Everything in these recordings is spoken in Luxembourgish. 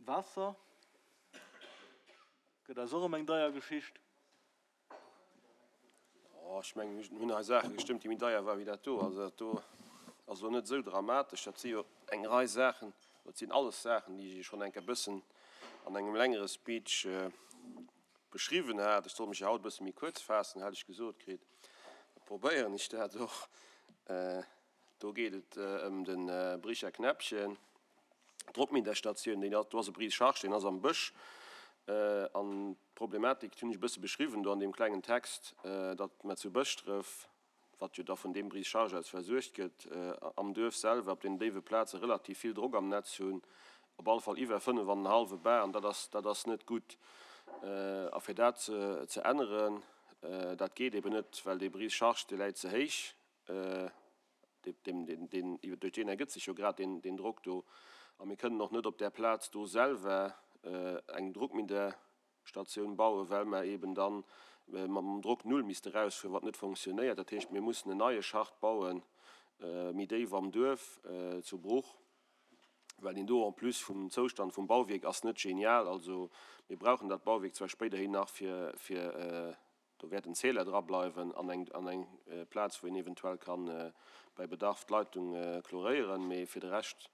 Waasser gëtt eis och ëm eng deier Geschicht. Oh, ech mengen, mir hunn hei Saache gestëmmt, déi méi deier waren wéi dat do. Also dat do ass elo net esou dramatesch. Dat si jo eng Rei Saachen, dat sinn alles Saachen, déi ech schonn eng Kéier e bëssen an engem längere Speech beschriwwen hat. Ech soll mech jo haut e bësse méi kuerz faassen, hat ech gesot kritt. Da probéieren ech dat och. Do geet et ëm de Bricher Knäppchen. D'Drockminderstatioun, déi do ass e Brise-charge, deen ass am Bësch. An d'Problematik, déi hunn ech e bësse beschriwwen do an deem klengen Text, datt mer zu Bëschdref, wat jo da vun deem Brise-charge aus versuergt gëtt, am Duerf selwer op den déiwe Plaze relativ vill Drock am Netz hunn, op alle Fall iwwer 5 an en hallwe Bar, an dat ass, dat ass net gutt. A fir dat ze änneren, dat geet eben net, well dee Brise-charge, dee läit ze héich. Duerch deen ergëtt sech jo grad deen Drock do. A mir kënnen och net op där Plaz do selwer eng Druckminderstatioun bauen, well mer eeben da mam Drock null misste erausfueren, wat net fonctionnéiert. Dat heescht, mir mussen en neie Schacht bauen, méi déif am Duerf zu Bruch, well deen do en plus vum Zoustand vum Bauwierk ass net genial. Also mir brauchen dat Bauwierk zwar spéiderhin nach fir Do wäert en Zähler dra bleiwen an eng an eng Plaz, wou een eventuell kann bei Bedarf d'Leitung chloréieren. Mee fir de Rescht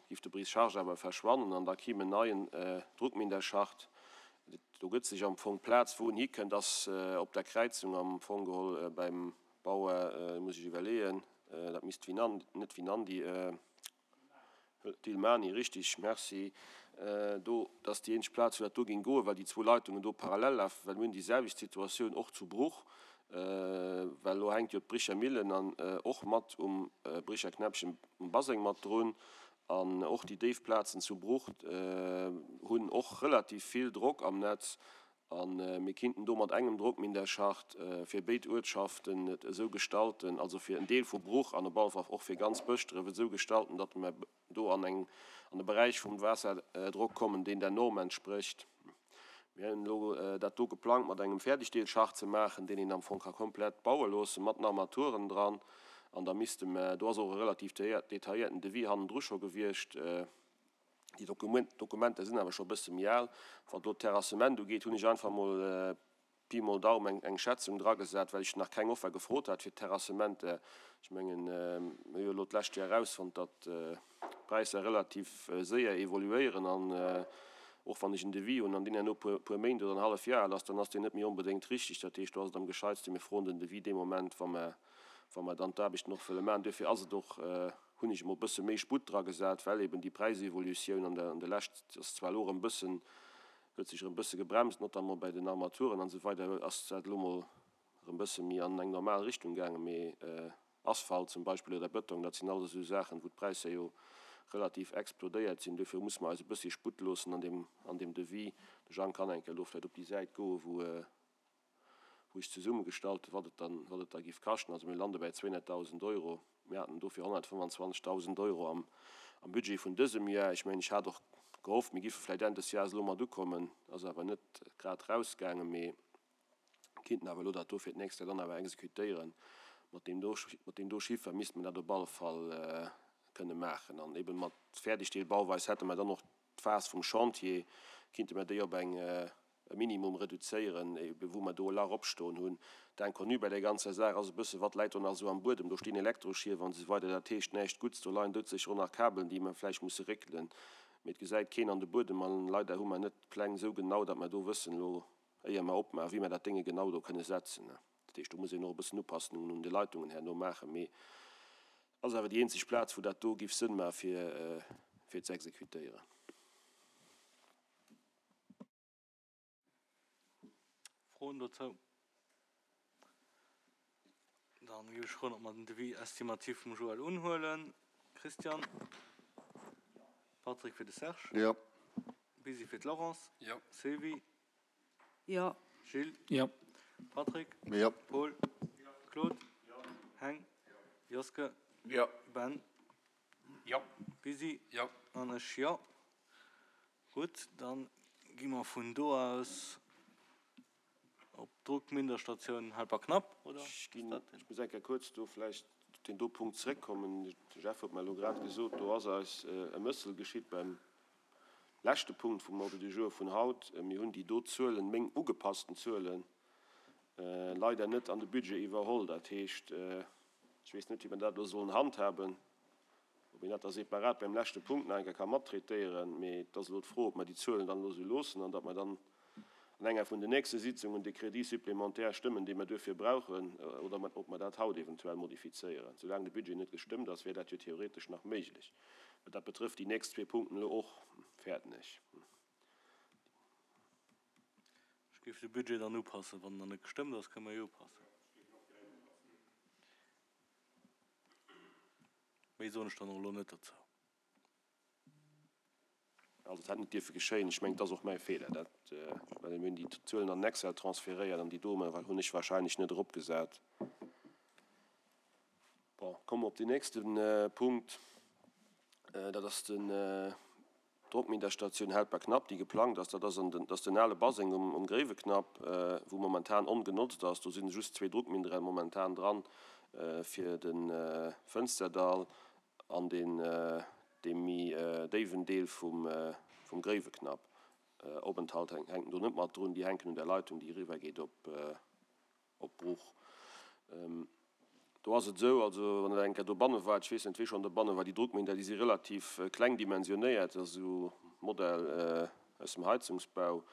giff de Brise-charge awer verschwannen an da kimm en neien Druckminderschacht. Do gëtt sech am Fong d'Plaz, wou en hikënnt, ass op der Kräizung am Fong geholl beim Bauer, muss ech iwwerleeën, dat misst Winan, net Winandi, D'Ilmani, richtig, merci. Do, dat ass déi eenzeg Plaz, wou dat do géing goen, well déi zwou Leitungen do parallel lafen, well mir hunn déi selwecht Situatioun och zu Bruch, well elo hänkt jo d'Bricher Millen an och mat um Bricher Knäppchen um Baseng mat drun an och déi déif Plazen zu Bruch hunn och relativ vill Drock am Netz A mir kinnten do mat engem Drockminderschacht fir béid Uertschaften et esou gestalten, also fir en Deel vu Bruch an op alle Fall och fir ganz Bëschdref et esou gestalten, datt mer do an eng, an e Beräich vum Waasserdrock kommen, deen der Norm entsprécht. Mir hunn elo dat do geplangt mat engem Fäerdegdeelschacht ze maachen, deen een am Fong ka komplett baue loosse mat den Armaturen dran. An da misste mer, do ass och e relativ detailléierten Devis hannendru scho gewiescht, Déi Dokumenter sinn awer scho e bësse méi al. Wat elo d'Terrassement ugeet, hunn ech einfach emol Pi mol Daum eng Schätzung dragesat, well ech nach keng Offer gefrot hat fir d'Terrassementer. Ech mengen, mir hu jo elo d'lescht Joer erausfonnt, datt d'Präisser relativ séier evoluéieren an och wann ech en Devis hunn an deen herno puer Méint oder en halleft Joer al ass, dann ass deen net méi onbedéngt richtig. Dat heescht, do ass et am gescheitsten, mir froen den Devis dee Moment, wa mer wa mer dann d'Aarbechten och wëlle maachen. Duerfir ass et och, hunn ech emol e bësse méi Sputt dragesat, well eben déi Präisevolutioun an der an der Lescht ass zwar elo erëm e bëssen, huet sech erëm e bësse gebremst, notamment bei den Armaturen an esou weider ass dat elo mol erëm e bësse méi an eng normal Richtung gaangen, mee Asphalt zum Beispill oder Bëtong, dat sinn alles esou Saachen, wou d'Präisser jo relativ explodéiert sinn. Duerfir musse mer eis e bëssi Sputt loossen an deem an deem Devis. De Jang kann eng Kéier elo vläicht op déi Säit goen, wou wou ech zesummegestallt hunn, wat et dann, wat et da géif kaschten. Also mir lande bäi 200.000 Euro. Mir haten dofir 125.000 Euro am, am Budget vun dësem Jar. Ech mengen, ech hat och gehofft, mir géife vläicht Enn des Jahres elo mat ukommen. Ass awer net grad erausgaangen, mee kinnten awer elo dat do fir d'nächst Joer dann awer exekutéieren. Mat deem do, mat deem do Chiffer misste mer dat op alle Fall kënne maachen. An eeben mat Fäerdegdeelbauweis hätte mer dann och d'Phas vum Chantier, kinnte mer déi op eng, e Minimum reduzéieren, ebe wou mer do e Lach opstoen hunn. D'Inconnue bei där ganzer Saach ass e bësse, wat läit do nach esou am Buedem? Do stinn Elektroschief an esou weider, dat heescht näischt Gutts. Do leien doudsécher och nach Kabelen, déi mer vläicht musse réckelen, mee et gesäit keen an de Buedem. A leider hu mer net d'Pläng esou genau, datt mer do wëssen elo, éier mer opmaachen, wéi mer dat Dénge genau do kënne setzen. Dat heescht, do muss een och e bëssen Upassungen un de Leitungen herno maachen, mee ass awer déi eenzeg Plaz, wou dat do giff Sënn maache fir ze exekutéieren. Froen dozou? Dann géif ech froen, ob mer den Devis estimatif vum Joël unhuelen. Christian? Patrick fir de Serge? Jo. Busy fir d'Laurence? Jo. Sylvie? Jo. Gilles? Jo. Patrick? Jo. Paul? Claude? Heng? Joske? Jo. Ben? Jo. Busy? Jo. An ech jo. Gutt, dann gi mer vun do aus op d'Druckminderstatioun Helperknapp, oder? Ech ginn, ech muss eng Kéier kuerz do vläicht op deen do Punkt zréckkommen. De Jeff huet mer elo grad gesot, do ass eis e Mëssel geschitt beim. Leschte Punkt vum Ordre du jour vun haut. Mir hunn déi do Zuelen, meng ugepassten Zuelen, leider net an de Budget iwwerholl. Dat heescht, ech weess net, wéi mer dat elo sollen handhaben, ob een dat da separat beim leschte Punkt nach eng Kéier ka mattraitéieren. Mee et ass elo d'Fro, ob mer déi Zuelen dann elo esou loossen an datt mer dann an enger vun den nächste Sitzungen de Crédit supplémentaire stëmmen, dee mer duerfir brauchen, oder ob mer dat haut eventuell modifizéieren. Soulaang de Budget net gestëmmt ass, wär dat jo theoretesch nach méiglech. Mä dat betrëfft déi nächst zwee Punkten elo och, fäerten ech. Ech géif de Budget dann upassen. Wann en nach net gestëmmt ass, kënne mer jo upassen. Méi soen ech dann och elo net dozou. Also et hätt net dierfe geschéien. Ech mengen, et ass och mäi Feeler, dat, well mir hunn déi Zuelen an den Excel transferéiert an déi do hunn ech wahrscheinlech net eropgesat. Bon, komme mer op den nächste Punkt, dat ass den d'Drockminderstatioun Helperknapp, déi geplangt ass. Dat ass an den, dat ass den ale Baseng um, um Gréiweknapp, wou momentan ongenotzt ass. Do sinn just zwee Druckmindere momentan dran fir de Fënsterdall an deen, dee méi déiwen Deel vum, vum Gréiweknapp. Openthalt hänken do net mat drun, déi hänken un der Leitung, déi eriwwergeet op, op Bruch. Do ass et esou, also wann Der eng Kéier dobanne waart, ech weess net, wie schonn dobanne war, déi Druckminder, déi si relativ kleng dimensionéiert, dat ass esou Modell aus dem Heizungsbau.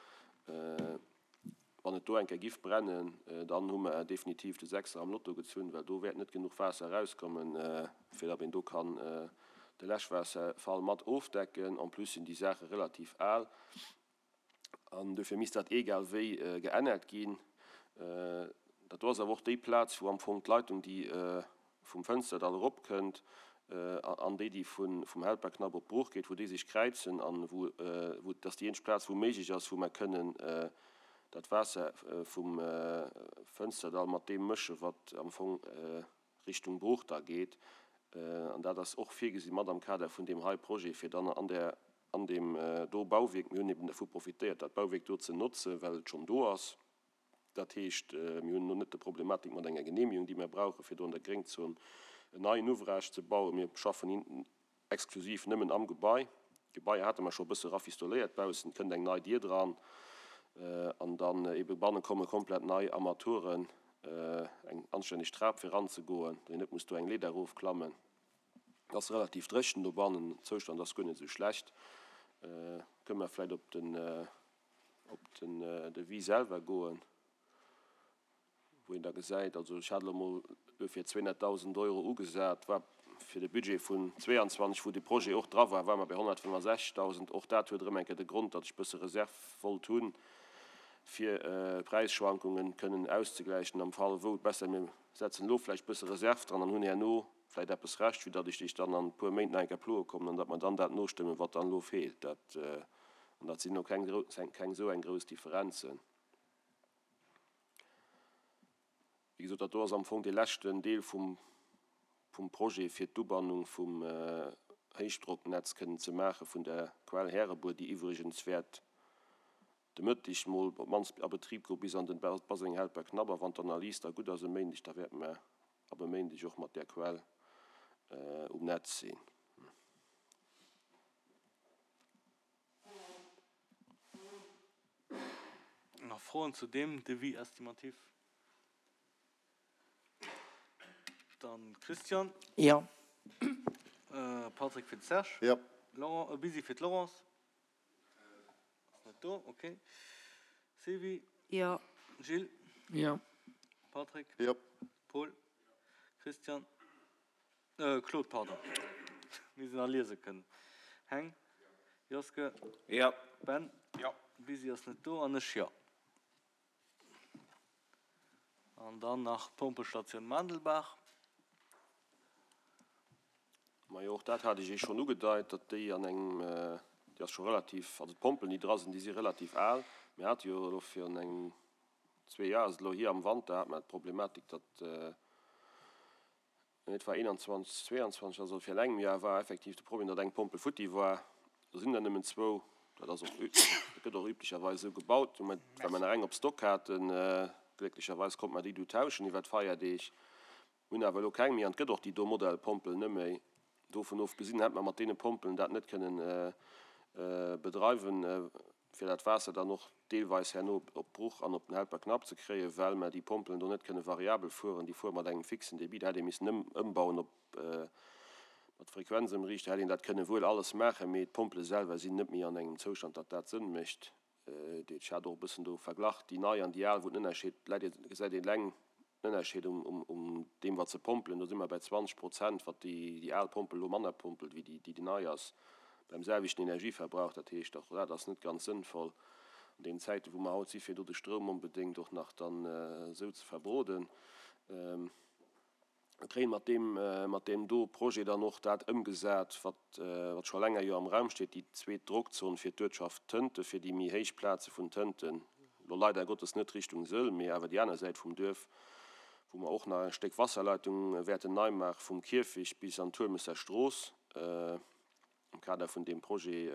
Wann et do eng Kéier giff brennen, dann hu mer definitiv de Sechser am Lotto gezunn, well do wäert net genuch Waasser erauskommen, fir datt een do kann de Läschwaasserfall mat ofdecken. En plus sinn déi Saache relativ al. An dofir misst dat egal wéi geännert ginn. Dat do ass awer och déi Plaz, wou am Fong d'Leitung, déi vum Fënsterdall eropkënnt, an déi, déi vum Helperknapp op d'Bruch geet, wou déi sech kräizen an wou, wou, dat ass déi eenzeg Plaz, wou méiglech ass, wou mer kënnen dat Waasser vum Fënsterdall mat deem mëschen, wat am Fong Richtung Bruch da geet. An dat ass och virgesi mat am Kader vun deem hei Projet, fir dann an där, an deem do Bauwierk, mir hunn eben dervu profitéiert, dat Bauwierk do ze notzen, well et schonn do ass. Dat heescht, mir hunn elo net de Problematik mat enger Genehmigung, déi mir brauchen, fir do an der Gréngzon en neien Ouvrage ze bauen. Mir schaffen Exklusiv nëmmen am Gebai. D'Gebaier hate mer scho e bësse rafistoléiert baussen, kënnt eng nei Dier dran an dann ebe banne komme komplett nei Armaturen, eng anstänneg Trap fir eranzegoen, datt een net muss do eng Leeder erofklammen. Et ass relativ dréchen dobannen, den Zoustand ass guer net esou schlecht. Kënne mer vläicht op den op den Devis selwer goen? wou een da gesäit, also ech hat elo emol duerfir 200.000 Euro ugesat, war fir de Budget vun 22, wou de Projet och dra war, ware mer bei 165.000. Och dat huet erëm eng Kéier de Grond, datt ech e bësse Reserv wollt hunn, fir Präisschwankungen kënnen auszegläichen am Fall wou. Besser mir setzen elo vläicht e bësse Reserv dran an hunn herno vläicht eppes Rescht, wéi datt ech lech dann an e puer Méint nach eng Kéier ploe kommen an datt mer dann dat nostëmmen, wat dann elo feelt. Dat, an dat sinn elo keng, keng esou eng grouss Differenzen. Wéi gesot, dat do ass am Fong dee leschten Deel vum Projet, fir d'Ubannung vum Héichdrocknetz kënnen ze maache vun der Quell Härebuer, déi iwwregens wäert de Mëtteg mol op d'mannst a Betrib goe bis an den Baseng Helperknapp. A wann d'Analys da gutt ass e Méindeg, da wäerte mer ab e Méindeg och mat där Quell um Netz sinn. Nach Froen zu deem Devis estimatif? Dann Christian. Jo. Patrick fir de Serge. Jo. Laurent, e Busy fir d'Laurence. Ass net do, ok. Sylvie. Jo. Gilles. Jo. Patrick. Jo. Paul. Christian. Claude, pardon. Mir sinn a liese kënnen. Heng. Joske. Jo. Ben. Jo. Busy ass net do an ech jo. An dann nach d'Pompelstatioun Maandelbaach. Majo, och dat hat ech Iech schonn ugedeit, datt déi an engem, déi ass scho relativ, also d'Pompelen, déi dra sinn, déi si relativ al. Mir hate jo elo virun engem, zwee Joer ass et elo hier, am Wanter hate mer d'Problematik, datt, Et war 21, 22, also virun engem Joer war effektiv de Problem, datt eng Pompel futti war. Do sinn der nëmmen zwou. Dat ass och, dat gëtt och üblicherweis esou gebaut. Well mer nach eng op Stock haten, glécklecherweis konnte mer déi du tauschen iwwer d'Feierdeeg. Mir hunn awer elo keng méi an et gëtt och déi do Modellpompel net méi. Dovun ofgesinn hätte mer mat deene Pompelen dat net kënnen. bedreiwen, fir dat Waasser dann och deelweis herno op d'Bruch an op den Helperknapp ze kréien, well mer déi Pompelen do net kënne variabel fueren. Déi fuere mat engem fixen Débit. Da hätt ee missen ëmbauen op mat Frequenzëmriichter, hätt een dat kënne wuel alles maachen, mee d'Pompele selwer sinn net méi an engem Zoustand, datt dat Sënn mécht. Ech hat och e bëssen do verglach, déi nei an déi al, wou den Ënnerscheed läit, gesäit een eleng den Ënnerscheed um deem, wat se pompelen. Do si mer bei 20 Prozent, wat déi al Pompel elo manner pompelt wéi déi nei ass, beim selwechten Energieverbrauch. Dat heescht, och dat ass net ganz sënnvoll an deenen Zäiten, wou mer haut si fir do de Stroum onbedéngt och nach dann esou ze verbroden. Mir kréien mat deem, mat deem do Projet dann och dat ëmgesat, wat, wat scho länger jo am Raum steet, déi zweet Drockzon fir d'Uertschaft Tënte, fir déi méi héich Plaze vun Tënten, elo leider Gottes net Richtung Sëll, mee awer déi aner Säit vum Duerf, wou mer och nach e Stéck Wasserleitung wäerten nei maache vum Kierfecht bis an d'Huelmesser Strooss am Kader vun deem Projet.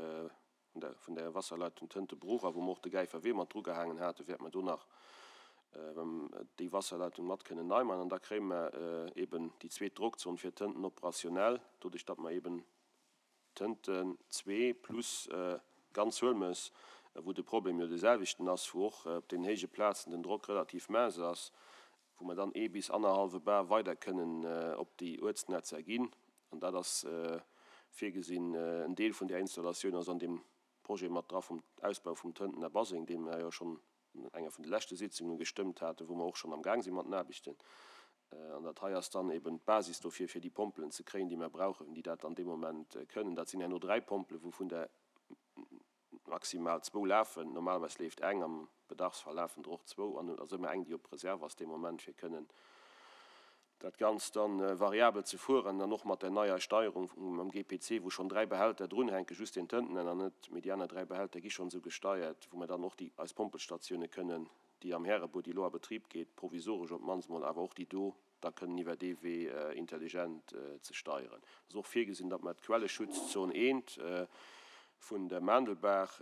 vun der Wasserleitung Tëntebruch a wou mer och de Gäifer Wee mat drugehaangen haten, wäerte mer do nach déi Wasserleitung mat kënnen nei maachen. An da kréie mer eben déi zweet Drockzon fir Tënten operationell, doduerch datt mer eben Tënten zwee plus ganz Huelmes, wou de Problem jo dee selwechten ass, wou och op deenen héije Plazen den Drock relativ mince ass, wou mer dann ee bis annerhallwe Bar weider kënnen op déi Uertsnetzer ginn. An dat ass virgesinn. En Deel vun där Installatioun ass an deem Projet mat dra vum Ausbau vum Tëntener Baseng, dee mer jo schonn an enger vun de leschte Sitzunge gestëmmt haten, wou mer och schonn am Gaang si mat den Aarbechten. An dat hei ass dann eben d'Basis dofir, fir déi Pompelen ze kréien, déi mer brauchen, déi dat dann dee Moment kënnen. Dat sinn herno 3 Pompelen, wouvun der maximal zwou lafen. Normalerweis leeft eng, am Bedarfsfall lafen der och zwou an et ass ëmmer eng, déi op Reserve ass dee Moment, fir kënnen dat Ganzt dann variabel ze fueren an och mat der neier Steierung mam GPC, wou schonn 3 Behälter drunhänken, just deen Tëntenenner net, mee déi aner 3 Behälter gi schonn esou gesteiert, wou mer dann och déi eis Pompelstatioune kënnen, déi am Härebuer, déi elo a Betrib geet, provisoresch op d'mannst mol, awer och déi do da kënnen iwwer dee Wee intelligent ze steieren. Et ass och virgesinn, datt mer d'Quelleschutzzon eent vun der Maandelbaach,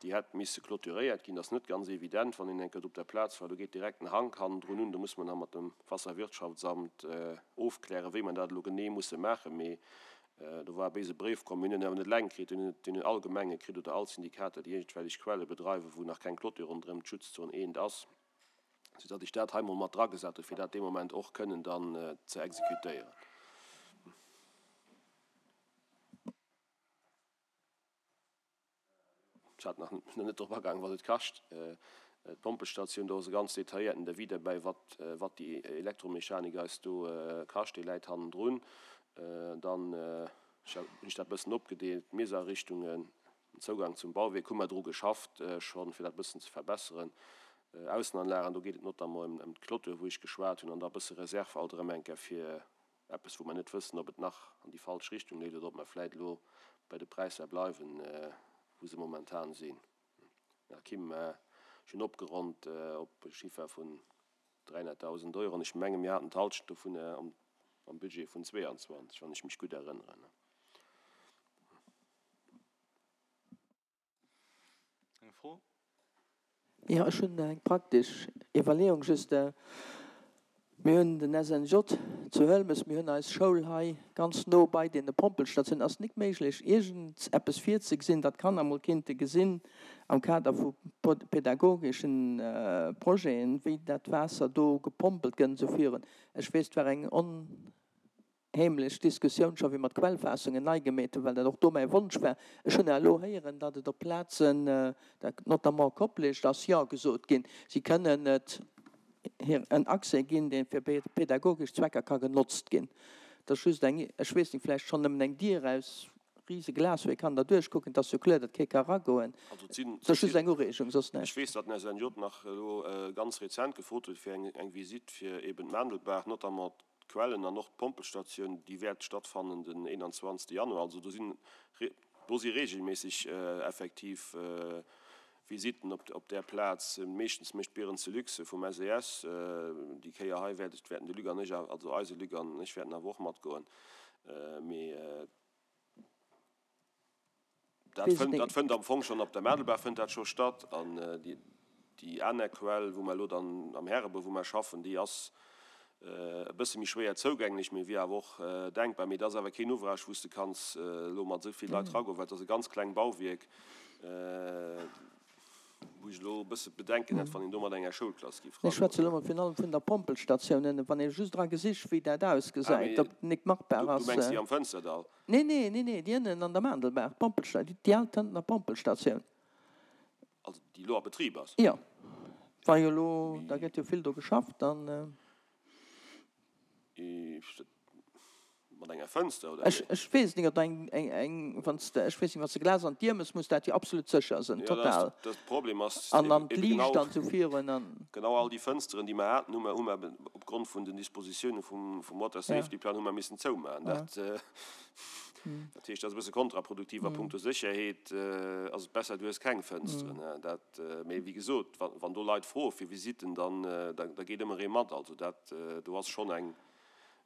déi hätt misse clôturéiert ginn. Dat ass net ganz evident, wann een eng Kéier op der Plaz war. Do geet direkt den Hank hannendrun un. Do muss mer nach mat dem Wasserwirtschaftsamt ofklären, wéi mer dat elo genee musse maachen. Mee do war e béise Bréif komm. Mir hunn en awer net eleng kritt, deen hunn all Gemenge kritt oder all Syndikater, déi iergendwellech Quelle bedreiwen, wou nach keng Clôture ronderëm d'Schutzzon eent ass. Soudatt ech dat hei mol mat dragesat hunn, fir dat dee Moment och kënnen dann ze exekutéieren. Ech hat nach net drop agaangen, wat et kascht, d'Pompelstatioun. Do ass e ganz detailléierten Devis derbäi, wat, wat déi Elektromechanik eis do kascht. Dee läit hannendrun. Dann hunn ech dat e bëssen opgedeelt, d'Miesarichtungen, Den Zougang zum Bauwierk hu mer dru geschafft schonn, fir dat e bëssen ze verbesseren. Aussenanlagen, do geet et notamment ëm d'Clôture, wou ech geschwat hunn, an da e bësse Reserve alt erëm eng Kéier fir eppes, wou mer net wëssen, ob et nach an déi falsch Richtung leeft oder ob mer vläit elo bei de Präisser bleiwen, wou se momentan sinn. Här Kim, ech hunn opgeronnt op e Chiffer vun 300.000 Euro an ech menge mir haten d'Halschent dovun am Budget vun 22, wann ech mech gutt erënneren. Eng Fro? Jo, ech hunn eng praktesch Iwwerleeung just. Mir hunn den SNJ zu Huelmes, mir hunn eis Schoul hei ganz no bei deene Pompelstatiounen. Ass et nik méiglech, iergend eppes virzegesinn, datt d'Kanner emol kinnte gesinn am Kader vu pädagogeschen Projeten, wéi dat Waasser do gepompelt gëtt, esou virun? Ech weess, et war eng on. Heemlech Diskussioun scho wéi mer d'Quellfaassungen nei gemeet hunn, well dat och do mäi Wonsch war. Ech hunn elo héieren, datt et op Plazen, dat notamment Koplescht, ass Jo gesot ginn, si kënnen et hir en Accès ginn, dee fir pädagogesch Zwecker ka genotzt ginn. Dat ass just eng, ech weess net, vläicht schonn nëmmen eng Dier aus rise Glas, wou ee kann derduerch kucken. Et ass jo kloer, datt kee ka eragoen. Dat ass just eng Ureegung, soss näischt. Ech weess, datt den SNJ nach elo ganz rezent gefrot huet fir eng Visitt fir eben d'Maandelbaach, notamment D'Quellen an och d'Pompelstatioun, déi wäert stattfannen den 21 Januar. Also do sinn, do si reegelméisseg effektiv Visitten op där Plaz. Meeschtens mécht d'Bierenze Luxe vum SES. Déi Kéier hei wäert ech, wäerten de Luc an ech, also eise Luc an ech wäerten awer och matgoen. Mee. Dat fënnt, dat fënnt am Fong schonn op der Madelbaach fënnt dat scho statt. An déi, déi aner Quell, wou mer elo dann am Härebur, wou mer schaffen, déi ass. E bësse méi schwéier zougänglech, mee wier awer och denkbar. Mee dat ass awer keen Ouvrage, wou s de kanns elo mat esou vill Leit eragoen, well et ass e ganz kleng Bauwierk, wou ech elo e bësse Bedenken hätt, wann een do mat enger Schoulklass géif Ech schwätze elo mol virun allem vun der Pompelstatioun ënnen, wann ee just dra gesicht, wéi dat ausgesäit, ob et nik machbar ass. Du mengs déi am Fënsterdall? Nee, nee, nee, nee, déi ënnen an der Maandelbaach, d'Pompelstatioun, déi al Tëntener Pompelstatioun. Also déi elo a Betrib ass? Jo, war jo elo, da gëtt jo vill do geschafft an. Mat enger Fënster oder wéi? Ech weess et nik, ob da eng, eng, eng, wann s de, ech weess nik, wann s de Glas an d'Dier mëss, muss dat jo absolut sécher sënn, total. Jo, dat Problem ass An an d'Liicht an esou virun an. Genau all déi Fënsteren, déi mer haten, hu mer, hu mer opgrond vun den Dispositiounen vum, vum Water Safety Plan hu mer missen zoumaachen. Dat. Dat heescht, dat ass e bësse kontraproduktiv a punkto Sécherheet ass et besser, du hues keng Fënsteren. Dat, mee wéi gesot, wann do Leit froe fir Visitten, dann da geet ëmmer ee mat. Also dat, do ass schonn eng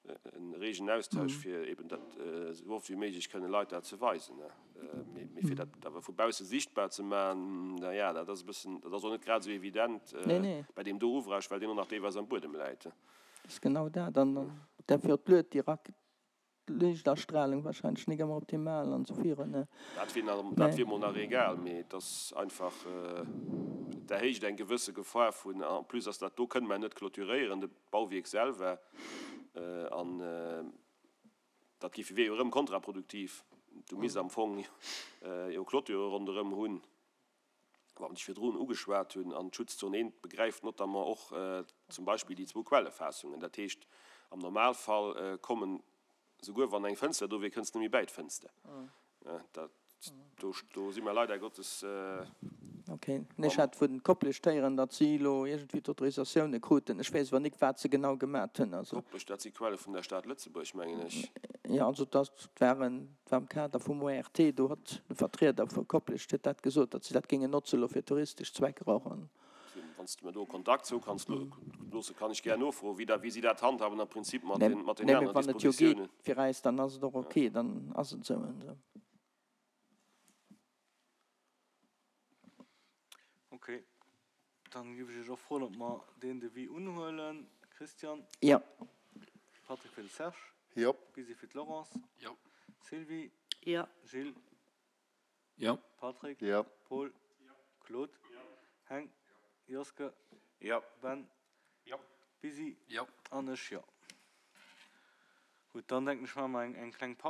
e reegen Austausch, fir eben dat esou oft wéi méiglech kënne Leit dat ze weisen. Mee fir dat awer vu bausse sichtbar ze maachen, na ja, dat ass e bëssen, dat ass och net grad esou evident bei deem do Ouvrage, well deen och nach deelweis am Buedem läit. Dat ass genau dat. An derfir och d'Lued direkt Liichtastrahlung wahrscheinlech nik ëmmer optimal an esou virun. Dat wier nach, dat wier mol nach egal, mee et ass einfach, et erhéicht eng gewësse Gefahr vun, en plus ass dat do, kënne mer net clôturéieren, de Bauwierk selwer, an dat géif, wier jo erëm kontraproduktiv. Du misst am Fong jo Clôture ronderëm hunn. wat ech virdrun ugeschwat hunn, an d'Schutzzon 1 begräift notamment och zum Beispill déi zwou Quellefaassungen. Dat heescht, am Normalfall kommen, souguer wann eng Fënster do wier, kënns de net méi bäi d'Fënster. Dat, do, do si mer leider Gottes. Ok. Ech hat vun Koplescht héieren, datt si elo iergendwéi d'Autorisatioune kruten. Ech weess awer nik, wat se genau gemat hunn. Also. Koplescht, dat si Quelle vun der Stad Lëtzebuerg, mengen ech. Jo, also dat waren Et war am Kader vum ORT, do hott de Vertrieder vu Koplescht huet dat gesot, datt si dat géingen notze lo fir touristesch Zwecker och. An. Wann s de mer do Kontakt zou kanns loossen, kann ech gär nofroen, wéi dat, wéi si dat handhaben am Prinzip mat den, mat den Nee, mee aneren wann et jo geet Dispositiounen. fir äis, dann ass et och ok, dann ass et esou. Ok, dann giff ech iech och froen, ob mer deen Devis unhuelen. Christian? Jo. Patrick fir de Serge? Jo. Lisi fir d'Laurence? Jo. Sylvie? Jo. Gilles? Jo. Patrick? Jo. Paul? Jo. Claude? Jo. Heng? Joske? Jo. Ben? Jo. Lisi? Jo. An ech jo. Gutt, dann denken ech, maache mer eng kleng Paus.